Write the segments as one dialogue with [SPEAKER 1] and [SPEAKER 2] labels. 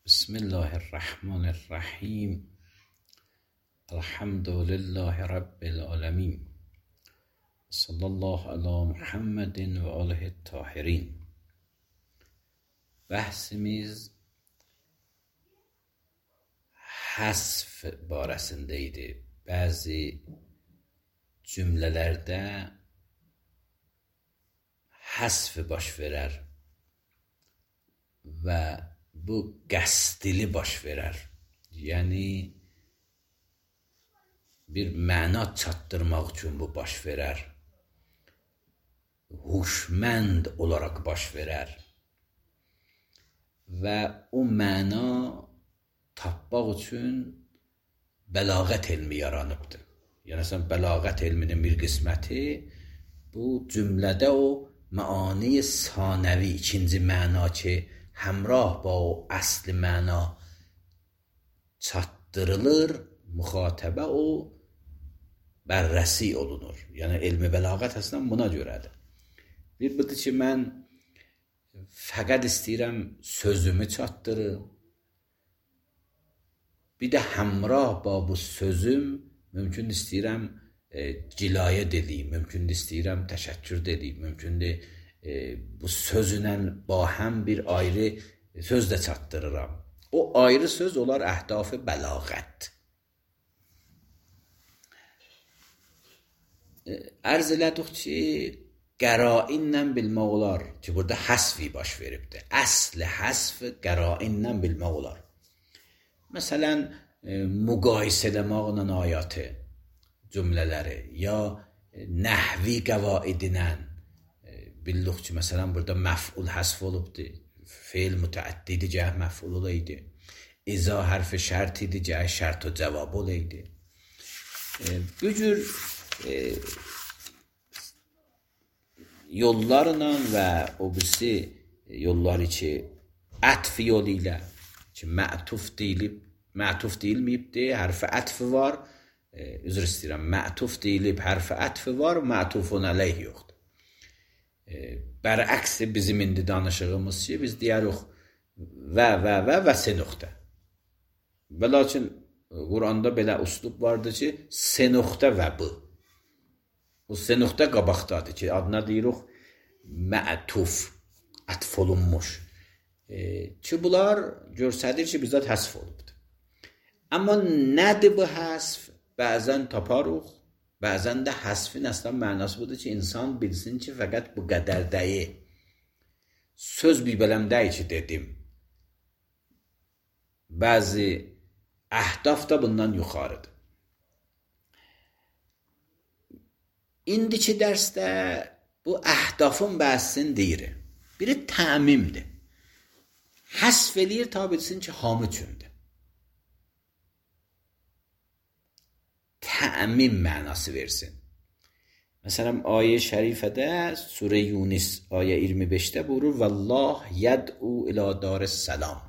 [SPEAKER 1] بسم الله الرحمن الرحیم. الحمد لله رب العالمین. صلی الله علی محمد و آله الطاهرین. Bəhsimiz həsf barəsində idi. Bəzi cümlələrdə həsf baş verər və bu qəsdli baş verər. Yəni bir məna çatdırmaq üçün bu baş verər. Huşmənd olaraq baş verər. Və o məna tapmaq üçün bəlağət elmi yaranıbdır. Yəni sən bəlağət elminin bir qisməti bu cümlədə o məani sanəvi, ikinci məna ki həmrah ba o əsli məna çatdırılır, müxatəbə o bərrəsi olunur. Yəni elmi bəlağət əslən buna görədir. Bir budur ki mən fəqət istəyirəm sözümü çatdırım. Bir də həmrah ba bu sözüm mümkün istəyirəm cilayə dediyim, mümkün istəyirəm təşəkkür dediyim, mümkündür bu sözlə ba həm bir ayrı söz də çatdırıram. O ayrı söz olar əhdaf-ı bəlağət. Ərz elədik ki qərainlə bilmək olar ki burada həsfi baş veribdir. Əsl həsf qərainlə bilmək olar. Məsələn müqayisə eləməklə ayatı, cümlələri ya nəhvi qəvaidinlə bildik ki məsələn burada məf'ul həsf olubdur. Fe'l mütəəddidi cəh məf'ul olaydı. İza hərfi şərt idi, cəh şərt o cavab olaydı. Bu cür yollarla və o birisi yolları ki ətf yolu ilə ki mətuf deyilməyibdir, hərfi ətfi var, üzr istəyirəm, mətuf deyilib, hərfi ətfi var, mətufun əleyh yoxdur. Bərəksi bizim indi danışığımız ki biz deyirik və se nöqtə. Və lakin Quranda belə üslub vardır ki se nöqtə və bu. O se nöqtə qabaqdadır ki adına deyirik mətuf, ətf olunmuş. Ki bunlar görsədir ki bizzat həsf olubdur. Amma nədir bu həsf? Bəzən taparıq, bəzən də həsfin əslən mənası budur ki insan bilsin ki fəqət bu qədər deyil. Söz bir bələm deyil ki dedim. Bəzi əhdaf da bundan yuxarıdır. İndiki dərsdə bu əhdafın bəhsini deyirik. Biri təmimdir. Həsf eləyir ta bilsin ki hamı üçündür. Təmim mənası versin. Məsələn, ayə şərifədə Surə Yunus ayə 25-də buyurur Vallah yəd'u ilə darəs-səlam.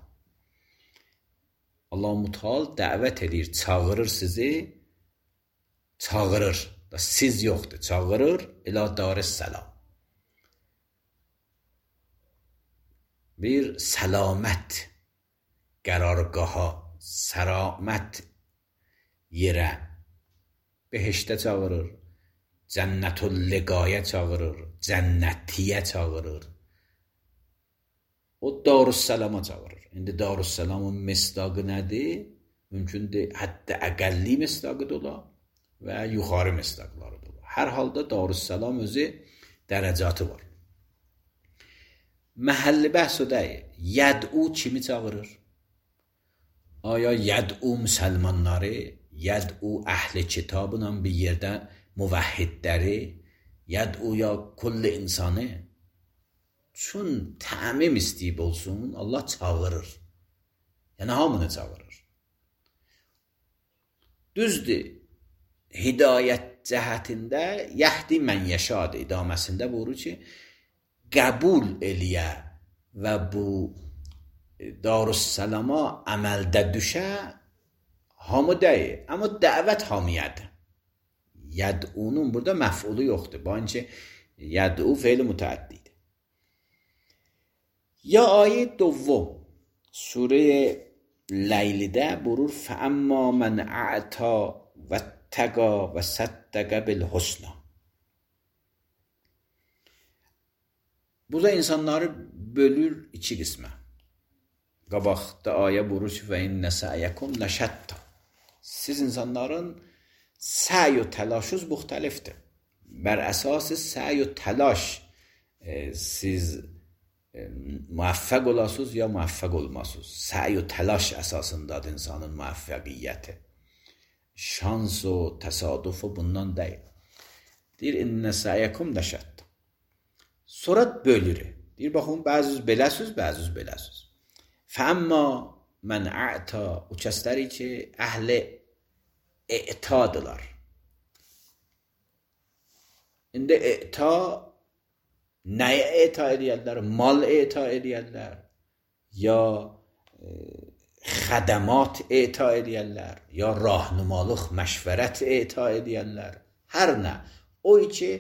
[SPEAKER 1] Allah Mütəal dəvət edir, çağırır sizi, çağırır. Siz yoxdur, çağırır ilə darəs-səlam. Bir səlamət qərargaha, səramət yerə, behiştə çağırır, cənnətül-liqaya çağırır, cənnətiyə çağırır. O Darüssəlama çağırır. İndi Darüssəlamın misdaqı nədir? Mümkündür, hətta əqəlli misdaqı da olar və yuxarı misdaqları da olar. Hər halda Darüssəlam özü dərəcatı var. Məhəlli bəhs o deyil. Yəd'u kimi çağırır? Aya yəd'u müsəlmanları, yəd'u əhli kitabla bir yerdə müvəhhidləri, yəd'u ya kulli insanı. Çün təmim istəyib olsun, Allah çağırır. Yəni hamını çağırır. Düzdür, hidayət cəhətində yəhdi mən yəşad idaməsində buyurur ki, qəbul eləyə və bu Darüssəlama əməldə düşə hamı deyil, amma dəvət hamiyədir. Yəd'unun burada məf'ulu yoxdur. Bu anki yəd'u fe'l mütəəddidir. Ya ayə دوم Surə Leylidə buyurur فَأَمَّا مَنْ أَعْتَى وَاتَّقَى وَصَدَّقَ بِالْحُسْنَى. Burada insanları bölür iki qismə. Qabaqda ayə buyurur ki, فَإِنَّ سَعْيَكُمْ لَشَتَّى. Siz insanların səy و təlaşınız müxtəlifdir. Bər əsası səy و təlaş siz muvaffaq olasınız ya muvaffaq olmasınız. Səy و təlaş əsasındadır insanın muvaffəqiyyəti. Şans و təsadüf bundan deyil. Deyir, İnnə səyyəkum ləşətt. Sonra bölür. Deyir, baxın, bəziz beləsiz, bəziz beləsiz. Fəəmmə mən ə'ta, o kəsləri ki, əhli i'tadılar. İndi i'ta, nəyə i'ta edəyərlər? Mal i'ta edəyərlər, ya xədəmat i'ta edəyərlər, ya rahnumalıq, məşvərət i'ta edəyərlər. Hər nə? O ki,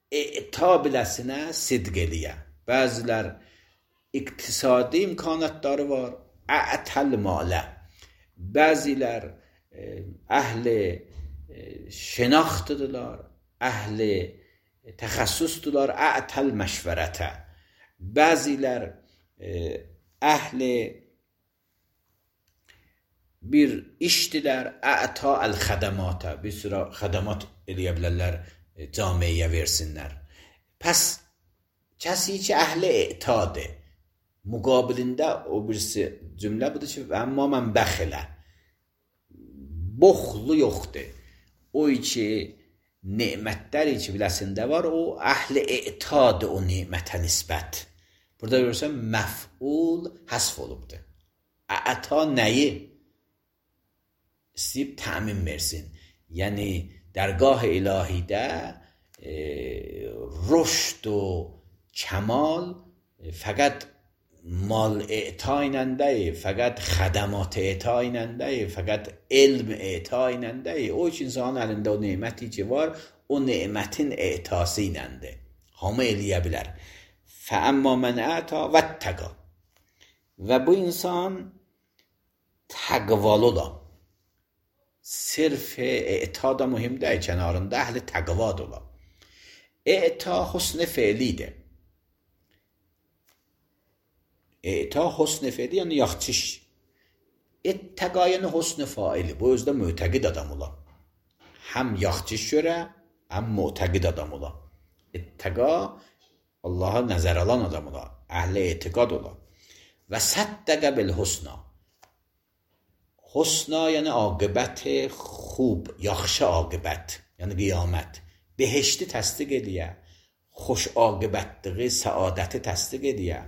[SPEAKER 1] i'ta biləsinə sidq eləyə. Bəzilər iqtisadi imkanatları var, ətəl malə. Bəzilər əhli şənaxtıdırlar, əhli təxəssüsdürlər, ətəl məşvərətə. Bəzilər əhli bir işdilər, əta əl-xədəmata, bir sürə xədəmat eləyə bilərlər, camiyə versinlər. Pəs kəsi ki, əhli i'tadır, müqabilində o birisi cümlə budur ki, əmmə mən bəxilə, boxlu yoxdur. O ki, nemətləri ki, biləsində var, o əhli i'tadır o nemətə nisbət. Burada görürsən, məf'ul həsf olubdur. Əta nəyi? İstəyib təmin versin. Yəni, dərgah ilahidə rüşd و کمال فقط مال اعطا ایننده، فقط خدمات اعطا ایننده، فقط علم اعطا ایننده. O ki, insanın əlində o neməti ki var, o nemətin e'tası ایننده. Hamı eləyə bilər. فَأَمَّا مَنْ أَعْتَى وَاتَّقَى. Və bu insan təqvalı ola. Sırf e'ta da mühim deyil, kənarında əhli təqvad ola. E'ta husn-i fe'lidir. E'ta husn-i fe'li yəni yaxşı iş. Ettəqa yəni husn-i faili. Bu özdə mütəqid adam ola. Həm yaxşı iş görə, həm mütəqid adam ola. Ettəqa Allaha nəzər alan adam ola. Əhli etiqad ola. Və səddəqə bil-husna. Husna yəni aqibət xub, yaxşı aqibət, yəni qiyamət. Behişti təsdiq ediyə, xoş aqibətliği, səadəti təsdiq ediyə.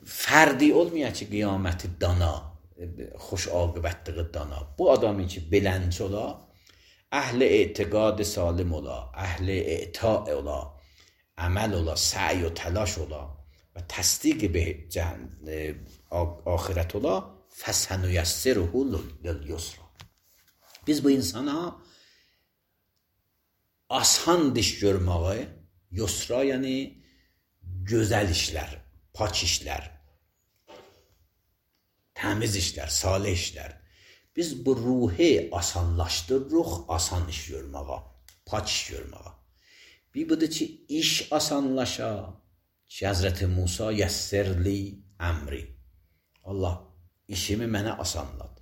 [SPEAKER 1] Fərdi olmaya ki, qiyaməti dana, xoş aqibətliği dana. Bu adamı ki, bilənc ola, əhli etiqad salim ola, əhli i'ta ola, əməl ola, səy و təlaş ola və təsdiq axirət ola, فَسَنُيَسِّرُهُ لِلْيُسْرَ. Biz bu insana asan iş görməyi, yusra yəni gözəl işlər, pak işlər, təmiz işlər, salih işlər. Biz bu ruhi asanlaşdırırıq, asan iş görməyə, pak iş görməyə. Bir budur ki, iş asanlaşa ki, Həzrəti Musa yəssirli əmri. Allah işimi mənə asanlad.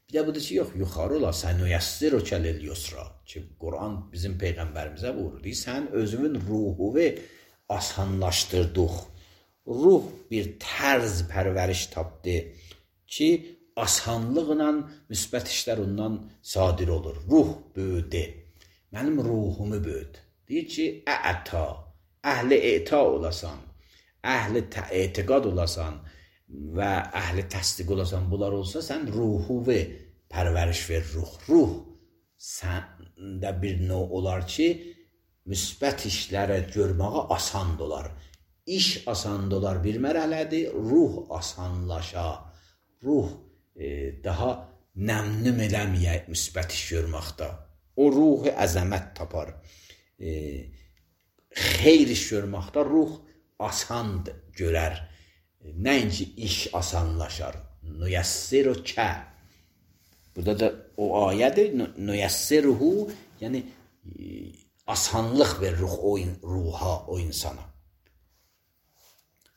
[SPEAKER 1] Bir də budur ki, yox, yuxarı ola, sənüyəssirukə lil-yusra ki, Quran bizim Peyğəmbərimizə buyurur. Sən özünün ruhu asanlaşdırdıq. Ruh bir tərz pərvəriş tapdı ki, asanlıqla müsbət işlər ondan sadir olur. Ruh böyüdü. Mənim ruhumu böyüdü. Deyir ki, ə'ta, əhli e'ta olasan, əhli etiqad olasan və əhli təsdiq olasan, bunlar olsa, sən ruhu pərvəriş ver, ruh. Ruh səndə bir növ olar ki, müsbət işlərə görməyə asan olar. İş asan olar bir mərhələdir, ruh asanlaşa, ruh daha nəmnüm eləməyə müsbət iş görməkdə. O ruhu əzəmət tapar. Xeyr iş görməkdə ruh asan görər. Nəinki iş asanlaşar. Nüyəssirukə. Burada da o ayədir. Nüyəssiruhu, yəni asanlıq verir ruha, o insana.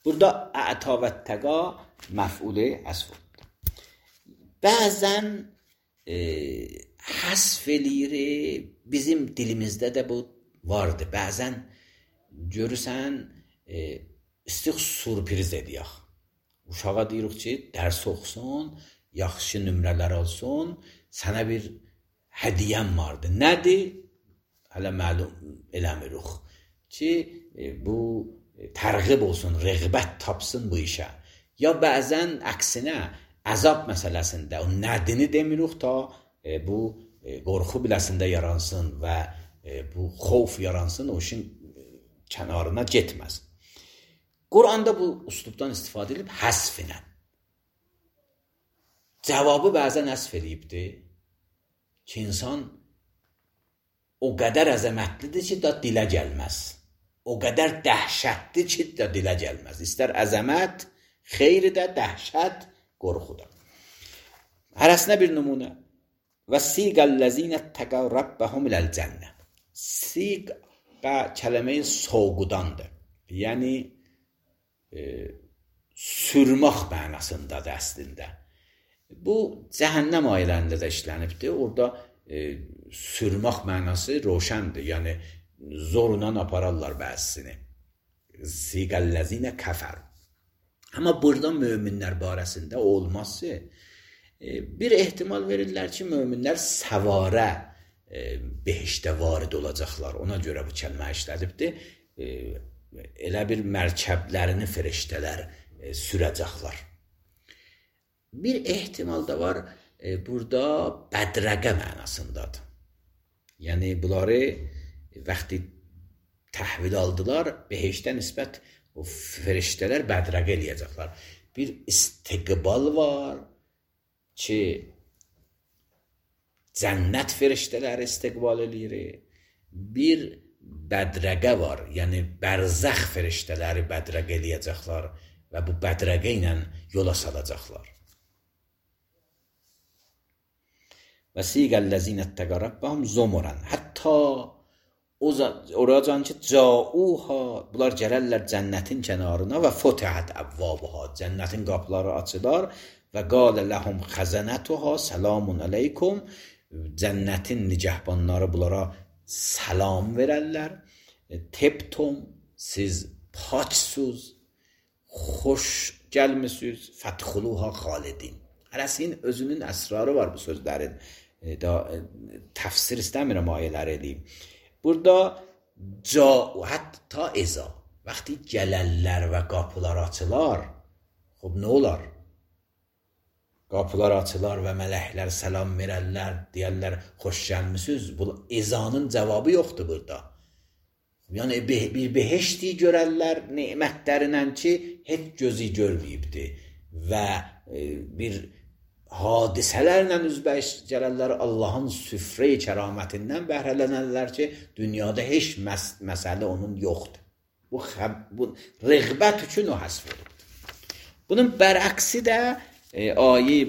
[SPEAKER 1] Burada ə'ta və təqa məf'ulə həsf olundu. Bəzən həsf eləyir, bizim dilimizdə də bu vardır. Bəzən görürsən, istiq sürpriz edək. Uşağa deyirik ki, dərs oxusun, yaxşı nömrələr alsın, sənə bir hədiyyəm vardır. Nədir? Hələ məlum eləmirik ki, bu tərğib olsun, rəğbət tapsın bu işə. Ya bəzən əksinə, əzab məsələsində o nədini demirik ta bu qorxu biləsində yaransın və bu xof yaransın, o işin kənarına getməz. Quranda bu üslubdan istifadə edib həsf ilə. Cavabı bəzən həsf edibdir ki, insan o qədər əzəmətlidir ki, da dilə gəlməz. O qədər dəhşətli ki, da dilə gəlməz. İstər əzəmət, xeyri də, dəhşət, qorxu da. Hərəsinə bir nümunə. Və siqəl-ləzinə təqəv rabbəhum iləl-cənnə. Siqə kələməyi soğudandır. Yəni, sürmək mənasındadır əslində. Bu, cəhənnəm ayələrində də işlənibdir. Orada sürmək mənası roşəndir. Yəni, zorla apararlar bəzisini. Siqəl-ləzinə kəfər. Amma burada möminlər barəsində olması bir ehtimal verirlər ki, möminlər səvarə behişdə varid olacaqlar. Ona görə bu kəlmə işlədibdir. Elə bir mərkəblərini feriştələr sürəcəklər. Bir ehtimal da var, burada bədrəqə mənasındadır. Yəni, bunları vaxtı təhvil aldılar, behişdə nisbət o feriştələr bədrəqə eləyəcəklər. Bir istiqbal var ki, cənnət feriştələri istiqbal eləyir. Bir bədrəqə var, yəni bərzəx feriştələri bədrəqə eləyəcəklər və bu bədrəqə ilə yola salacaqlar. Və siqəl-ləzinə təqə rabbəhum zumuran. Hətta oracan ki, cauha, bunlar gələrlər cənnətin kənarına və fotihət əvvabuha, cənnətin qapıları açılar və qalə ləhum xəzənətuha səlamun aleykum, cənnətin nicəhbanları bunlara salam verərlər. Tebtum, siz paçsuz, xoş gəlmisiniz, fədxuluha xalidin. Hərəsinin özünün əsrarı var bu sözlərin. Təfsir istəmirəm ayələri edeyim. Burada hətta eza, vaxtı gələrlər və qapılar açılar, nə olar? Qapılar açılar və mələklər səlam verərlər, deyərlər, xoş gəlmisiniz. Bu ezanın cavabı yoxdur burada. Yəni, bir behişti görərlər nemətlərindən ki, heç gözü görməyibdir və bir hadisələrlə üzbəyiş gələrlər, Allahın süfrə-i kəramətindən bəhrələnərlər ki, dünyada heç məsələ onun yoxdur. Bu rəğbət üçün o həsf olubdur. Bunun bərəksi də ayə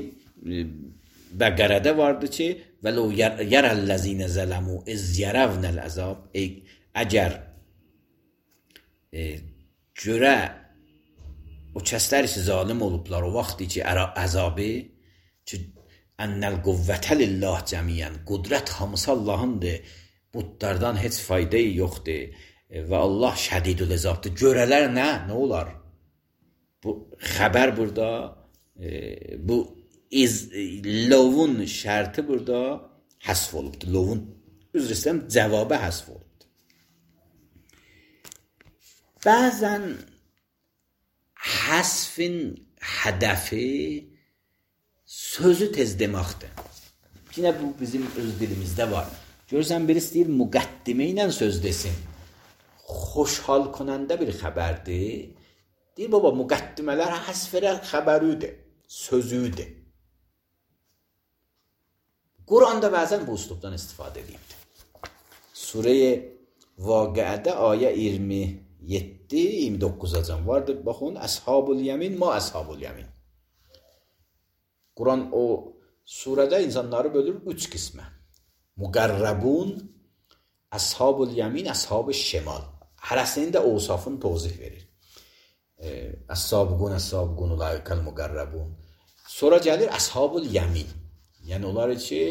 [SPEAKER 1] Bəqərədə vardı ki, vələ yərəl-ləzinə zələmu iz yərəvnəl əzab, əgər görə o kəslər ki, zalim olublar o vaxtı ki, əzabı ki, ənəl quvvətə lillah cəmiyyən, qudrət hamısı Allahındır, budlardan heç fayda yoxdur və Allah şədidül əzabdır. Görələr nə olar? Bu xəbər burada, bu lovun şərti burada həsf olubdur. Lovun, üzr istəyirəm, cavabı həsf olubdur. Bəzən həsfin hədəfi sözü tez deməkdir. Yine bu bizim öz dilimizdə var. Görürsən, birisi deyir, müqəddimə ilə söz desin. Xoşhal konəndə bir xəbərdir. Deyir, baba, müqəddimələr həsfərə xəbəridir, sözüdür. Quranda bəzən bu üslubdan istifadə edibdir. Surə-i Vaqiədə ayə 20 7-29-acan vardı. Baxın, Əshabul Yemin, ma Əshabul Yemin. Quran o surədə insanları bölür 3 qismə. Muqarrabun, Əshabul Yemin, Əshabul Şimal. Hərəsinin də ovsafını tozih verir. Əs-sabiqun, əs-sabiqun, ulaikal muqarrabun. Sonra gəlir Əshabul Yemin. Yəni onlar ki,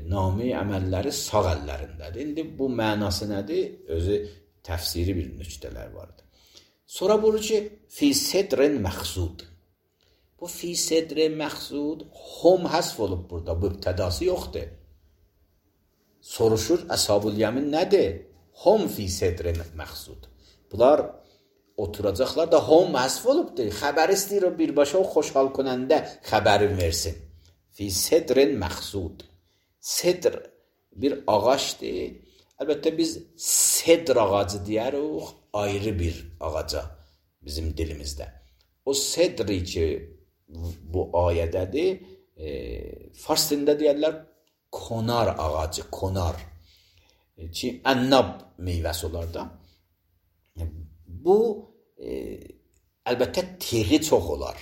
[SPEAKER 1] nami əməlləri sağ əllərindədir. İndi bu mənası nədir? Özü təfsiri bir nüqtələr vardır. Sonra buyurur ki, fi sedrin məxsud. Bu fi sedrin məxsud hum həsf olub burada. Mübtədası yoxdur. Soruşur, Əshabul Yemin nədir? Hum fi sedrin məxsud. Bunlar oturacaqlar da hum həsf olubdur. Xəbər istəyir o birbaşa o xoşhal konəndə xəbəri versin. Fi sedrin məxsud. Sedr bir ağaçdır. Əlbəttə biz sedr ağacı deyərik ayrı bir ağaca bizim dilimizdə. O sedri ki bu ayədədir, fars dilində deyərlər konar ağacı, konar. Ki ənab meyvəsi olar da. Bu əlbəttə tiği çox olar.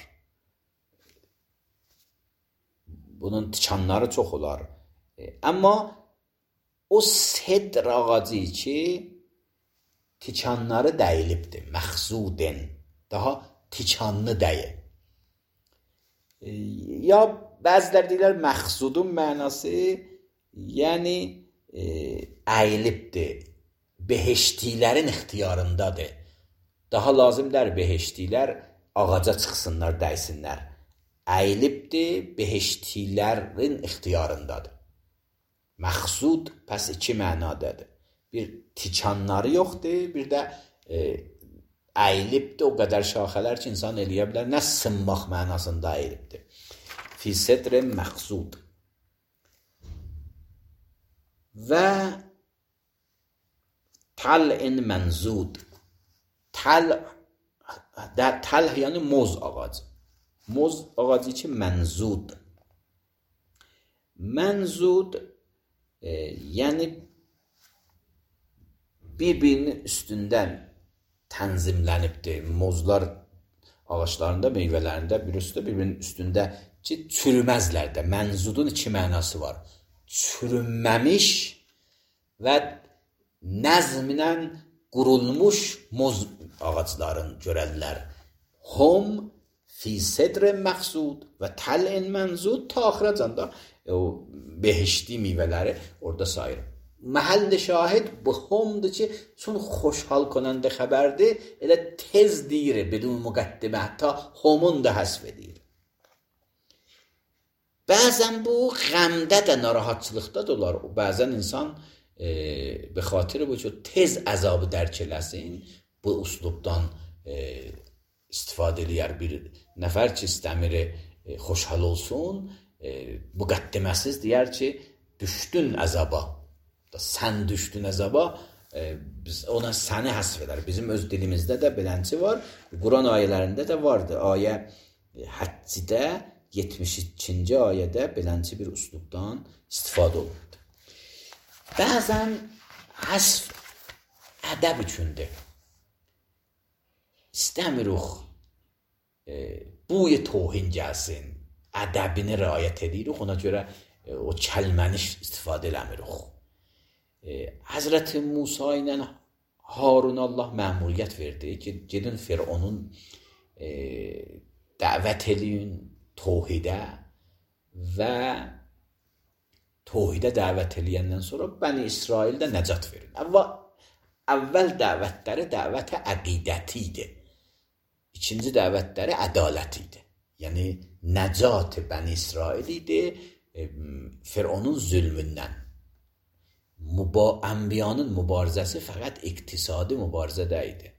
[SPEAKER 1] Bunun tikanları çox olar. Amma o sedr ağacı ki tikanları dəyilibdir. Məxzuden. Daha tikanlı deyil. Ya bəzilər deyirlər məxzudun mənası yəni əyilibdir. Beheştilərin ixtiyarındadır. Daha lazımdır beheştilər ağaca çıxsınlar, dəysinlər. Əyilibdir, beheştilərin ixtiyarındadır. Məxsud pəs 2 mənadadır. Bir tikanları yoxdur, bir də əyilibdir o qədər şaxələr ki, insan eləyə bilər. Nə sınmaq mənasında əyilibdir. Fi sedrin məxsud. Və tal'in mənzud. Tal yəni moz ağacı. Moz ağacı ki mənzud. Mənzud yəni bir-birinin üstündən tənzimlənibdir. Mozlar ağaçlarında, meyvələrində bir-birinin üstündə ki, çürüməzlər də. Mənzudun 2 mənası var. Çürünməmiş və nəzmlə qurulmuş moz ağacların görərlər. Hum fi sedrin məxsud və tal'in mənzud ta axıracan da o behişti meyvələri orada sayır. Məhəll şahid bu humdur ki, çün xoşhal konəndə xəbərdir, elə tez deyir, bedun müqəddimə, hətta humun da həsf edir. Bəzən bu qəmdə də, narahatçılıqda da olar. Bəzən insan به خاطر bu ki tez əzabı dərk eləsin, bu üslubdan istifadə eləyər. Bir nəfər ki istəmir xoşhal olsun, müqəddiməsiz deyər ki, düşdün əzaba. Sən düşdün əzaba, biz ona səni həsf edər. Bizim öz dilimizdə də belənçi var. Quran ayələrində də vardı. Ayə Həccidə 72-ci ayədə belənçi bir üslubdan istifadə olunur. Bəzən həsf ədəb üçündür. İstəmirik buy tohin gəlsin, ədəbini riayət edirik, ona görə o kəlməni istifadə eləmirik. Həzrəti Musa ilə Harun Allah məmuriyyət verdi ki, gedin Fironun dəvət eləyin tohidə və tohidə dəvət eləyəndən sonra Bəni İsraildə nəcat verin. Əvvəl dəvətləri dəvət əqidəti idi. İkinci dəvətləri ədalət idi. Yəni nəcat Bəni İsrail idi Fironun zülmündən. Ənbiyanın mübarizəsi fəqət iqtisadi mübarizə deyildi.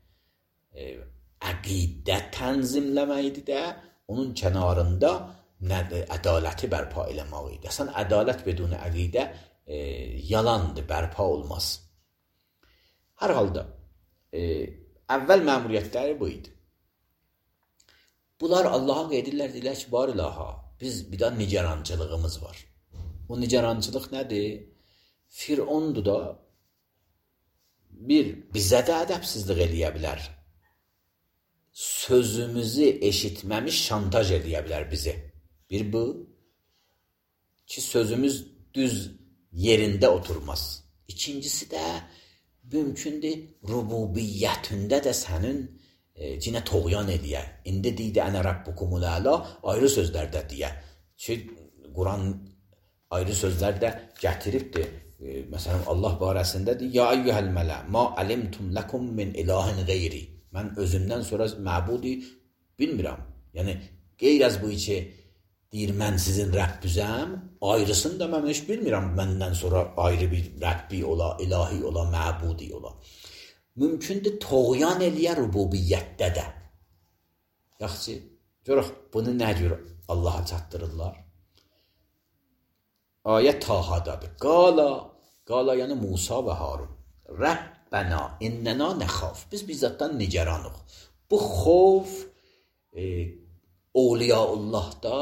[SPEAKER 1] Əqidə tənzimləmək idi də, onun kənarında ədaləti bərpa eləmək idi. Sən ədalət bedun əqidə yalandır, bərpa olmaz. Hər halda əvvəl məmuriyyətləri bu idi. Bunlar Allaha qeydirlər, deyirlər ki, bar ilaha, biz bir də nigarançılığımız var. O nigarançılıq nədir? Firondur da bizə də ədəbsizlik eləyə bilər. Sözümüzü eşitməmiş şantaj eləyə bilər bizi. Bir bu ki, sözümüz düz yerində oturmaz. İkincisi də mümkündür rububiyyətində də sənin cinə toğyan eləyə. İndi deydi ənə rabbukumul əla ayrı sözlərdə deyə. Ki, Quran ayrı sözlərdə gətiribdir. Məsələn, Allah barəsində deyir, ya eyyuhəl mələ, ma alimtum ləkum min ilahin qeyri. Mən özümdən sonra məbudi bilmirəm. Yəni, qeyr az bu içi deyir, mən sizin Rəbbüzəm, ayrısını da mən heç bilmirəm, məndən sonra ayrı bir Rəbbi ola, ilahi ola, məbudi ola. Mümkündür toğyan eləyə rububiyyətdə də. Yaxşı, görək, bunu nə cür Allaha çatdırırlar? Ayət Tahadadır. Qala yəni Musa və Harun. Rəbbənə innənə nəxaf. Biz bizzatdan nigeranıq. Bu xof Awliyaullah'da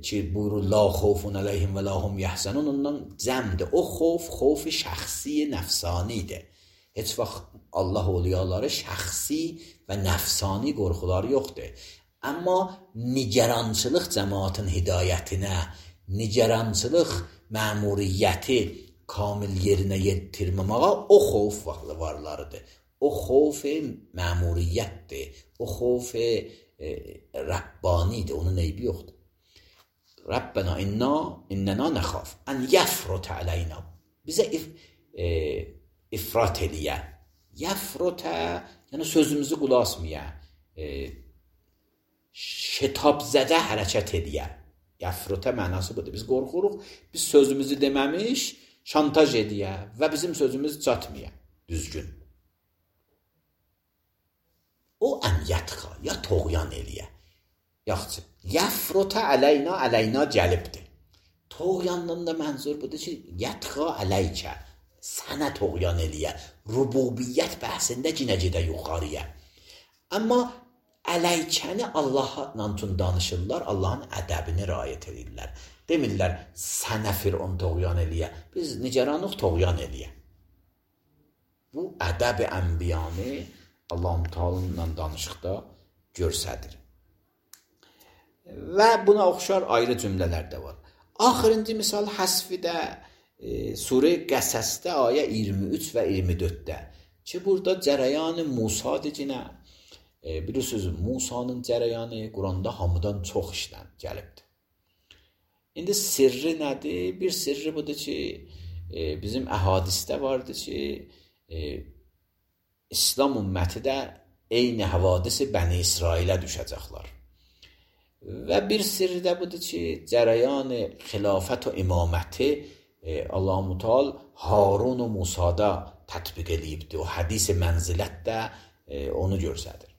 [SPEAKER 1] ki buyurur la xofun aleyhim və la hum yəhzənun ondan cəmdir. O xof şəxsi nəfsanidir. Heç vaxt Allah awliyaları şəxsi və nəfsani qorxuları yoxdur. Amma nigerançılıq cəmaatın hidayətinə, nigerançılıq məmuriyyəti kamil yerinə yetirməməyə o xof varlarıdır. O xof məmuriyyətdir. O xof Rabbanidir. Onun eybi yoxdur. Rabbena innena nəxaf ən yəfrutə əleyna. Bizə ifrat eləyə. Yəfrutə, yəni sözümüzü qulaq asmaya. Şetabzədə hərəkət eləyə. Yəfrutə mənası budur. Biz qorxuruq, biz sözümüzü deməmiş şantaj eləyə və bizim sözümüz çatmaya. Düzgün. O ən yətqa, ya toğyan eləyə. Yaxşı, yəfrutə əleyna gəlibdir. Toğyandan da mənzur budur ki, yətqa əleykə, sənə toğyan eləyə. Rububiyyət bəhsində cinə gedə yuxarıya. Amma əleykəni Allahla danışırlar, Allahın ədəbini riayət edirlər. Demirlər, sənə Fir'on toğyan eləyə. Biz nigeranıq toğyan eləyə. Bu ədəb-i ənbiyanı Allah-u Teala'nla danışıqda görsədir. Və buna oxşar ayrı cümlələr də var. Axırıncı misal həsfidə Surə Qəsəsdə ayə 23 və 24-də ki, burada cərəyanı Musadır cinə. Bilirsiniz, Musanın cərəyanı Quranda hamıdan çox işlən gəlibdir. İndi sirri nədir? Bir sirri budur ki, bizim əhadisdə vardır ki, İslam ümməti də eyni havadisi Bəni İsrailə düşəcəklər. Və bir sirri də budur ki, cərəyanı xilafət və imaməti Allah-u Teala Harun və Musada tətbiq edibdir. O hədis-i mənzilət də onu görsədir.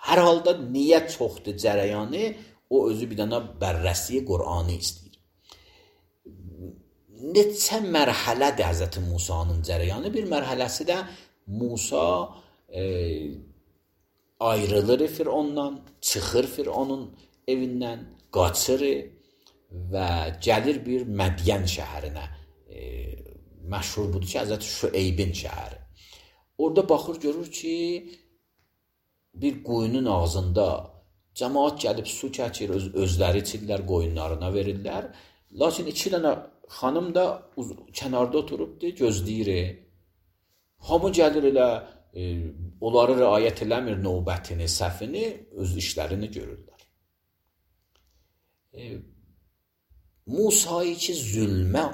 [SPEAKER 1] Hər halda niyə çoxdur cərəyanı, o özü bir dənə bərrəsi Qur'anı istəyir. Neçə mərhələdir Həzrət Musanın cərəyanı? Bir mərhələsi də Musa ayrılır Fir'ondan, çıxır Fir'onun evindən, qaçır və gəlir bir Mədiyən şəhərinə. Məşhur budur ki, Həzrət Şüeybin şəhəri. Orada baxır, görür ki, bir qoyunun ağzında cəmaat gəlib su çəkir, özləri içirlər, qoyunlarına verirlər. Lakin 2 dənə xanım da kənarda oturubdur, gözləyir. Hamı gəlir elə, onları riayət eləmir növbətini, səhvini, öz işlərini görürlər. Musa'yı ki, zülmə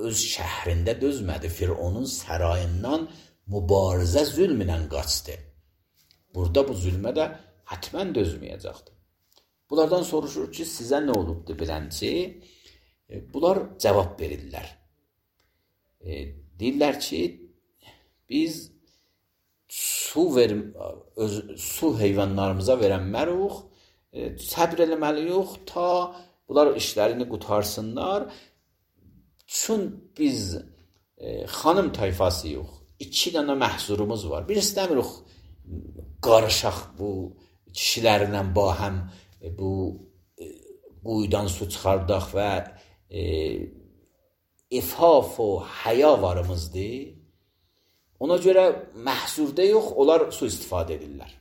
[SPEAKER 1] öz şəhrində dözmədi, Fir'onun sərayından mübarizə zülmlə qaçdı. Burada bu zülmə də hətmən dözməyəcəkdir. Bunlardan soruşur ki, sizə nə olubdur bilənci? Bunlar cavab verirlər. Deyirlər ki, biz su heyvanlarımıza verənməruk, səbr eləməliyik ta bunlar işlərini qutarsınlar. Çün biz xanım tayfasıyıq, 2 dənə məhzurumuz var. Bir istəmirik qarışaq bu kişilərlə bahəm bu quyudan su çıxardaq və ifaf və həya varımızdır. Ona görə məhsurda yox, onlar su istifadə edirlər.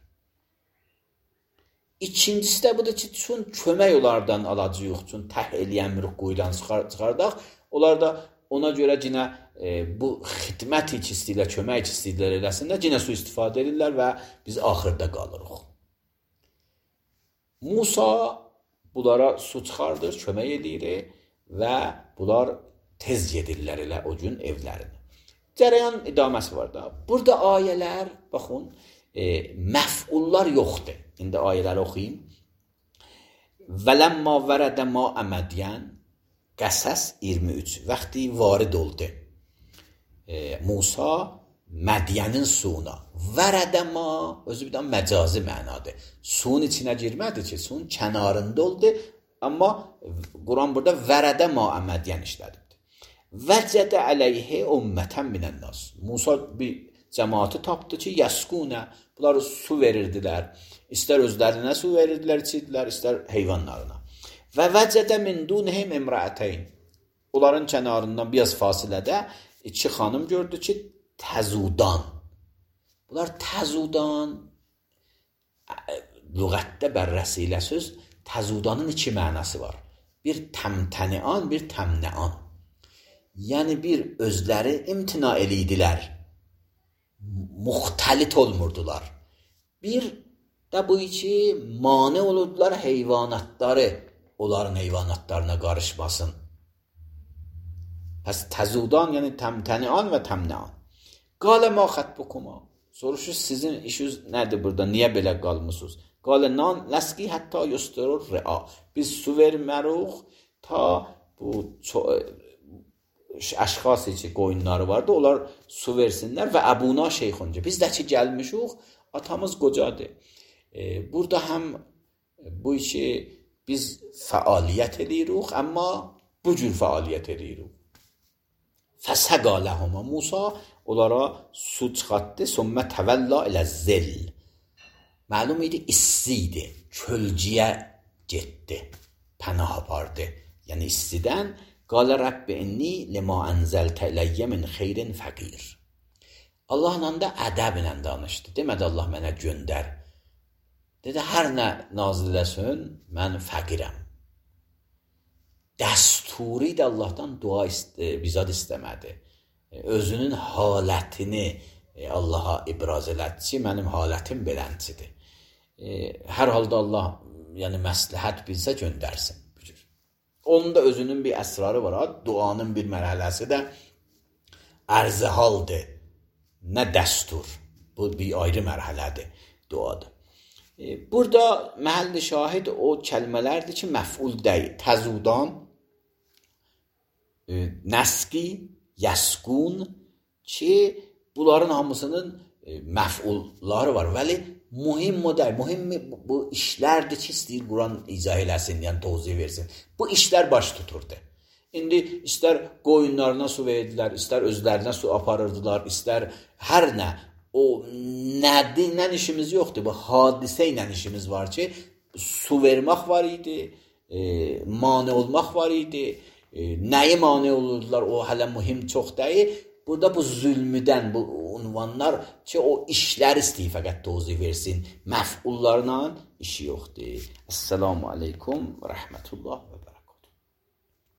[SPEAKER 1] İkincisi də budur ki, çün kömək onlardan alacı yox, çün təh eləyəmirik quyudan çıxardaq. Onlar da ona görə yenə bu xidmət ki istəyirlər, kömək ki istəyirlər eləsinlər, yenə su istifadə edirlər və biz axırda qalırıq. Musa bunlara su çıxardır, kömək edir və bunlar tez gedirlər elə o gün evlərinə. Cərəyan idaməsi var da. Burada ayələr, baxın, məf'ullar yoxdur. İndi ayələri oxuyayım. Vələmma vərədə ma'ə Mədiyən, Qəsəs 23. Vaxtı varid oldu Musa Mədiyənin suyuna. Vərədə ma, özü bir də məcazi mənadır. Suyun içinə girmədi ki, suyun kənarında oldu. Amma Quran burada vərədə ma'ə Mədiyən işlədi. Vəcədə əleyhə ümmətən minənnas. Musa bir cəmaatı tapdı ki, yəskunə, bunlar su verirdilər. İstər özlərinə su verirdilər, içirdilər, istər heyvanlarına. Və vəcədə min dunhum imra'atayn. Onların kənarından biraz fasilədə iki xanım gördü ki, təzudan. Bunlar təzudan lüğətdə bərrəsilə söz, təzudanın iki mənası var. Bir təmtənian, bir təmnəan. Yəni bir özləri imtina elədilər. Muxtəlit olmurdular. Bir də bu ki, mane olurdular heyvanatları, onların heyvanatlarına qarışmasın. Pəs təzudan, yəni təmtənian və təmnəan. Qalə ma xətbukuma. Soruşur, sizin işiniz nədir burada? Niyə belə qalmısınız? Qalə nan ləski hətta yusturur rəa. Biz su vermərik ta bu əşxası ki, qoyunları vardı, onlar su versinlər və əbuna şeyxunca. Biz də ki, gəlmişik, atamız qocadır. Burada həm bu işi biz fəaliyyət edirik, amma bu cür fəaliyyət edirik. Fəsəqaləhuma Musa onlara su çıxartdı, sümmə təvəlla ilə zil. Məlum idi, istiydi, kölciyə getdi, pənah apardı. Yəni istidən qalə Rəbbi inni limə ənzəltə iləyyə min xeyrin fəqir. Allahla da ədəblə danışdı. Demədi Allah mənə göndər. Dedi, hər nə nazil eləsin, mən fəqirəm. Dəsturi də Allahdan dua bizad istəmədi. Özünün halətini Allaha ibraz elədi ki, mənim halətim belənçidir. Hər halda Allah yəni məsləhət bilsə göndərsin. Onun da özünün bir əsrarı var. Duanın bir mərhələsi də ərzə haldır. Nə dəstur. Bu bir ayrı mərhələdir duada. Burada məhəlli şahid o kəlmələrdir ki, məf'ul deyil. Təzudan, nəski, yəskun ki, bunların hamısının məf'ulları var. Vəli mühim model, mühim bu işlərdir ki, istəyir Quran izah eləsin, yəni tozih versin. Bu işlər baş tuturdu. İndi istər qoyunlarına su verdilər, istər özlərinə su aparırdılar, istər hər nə. O nə işimiz yoxdur. Bu hadisə ilə işimiz var ki, su vermək var idi, mane olmaq var idi. Nəyi mane olurdular, o hələ mühim çox deyil. Burada bu zülmüdən, bu unvanlar ki, o işlər istəyir fəqət tozih versin. Məf'ullarla işi yoxdur. Əssəlamu aleykum və rəhmətullah və bərəkətuhu.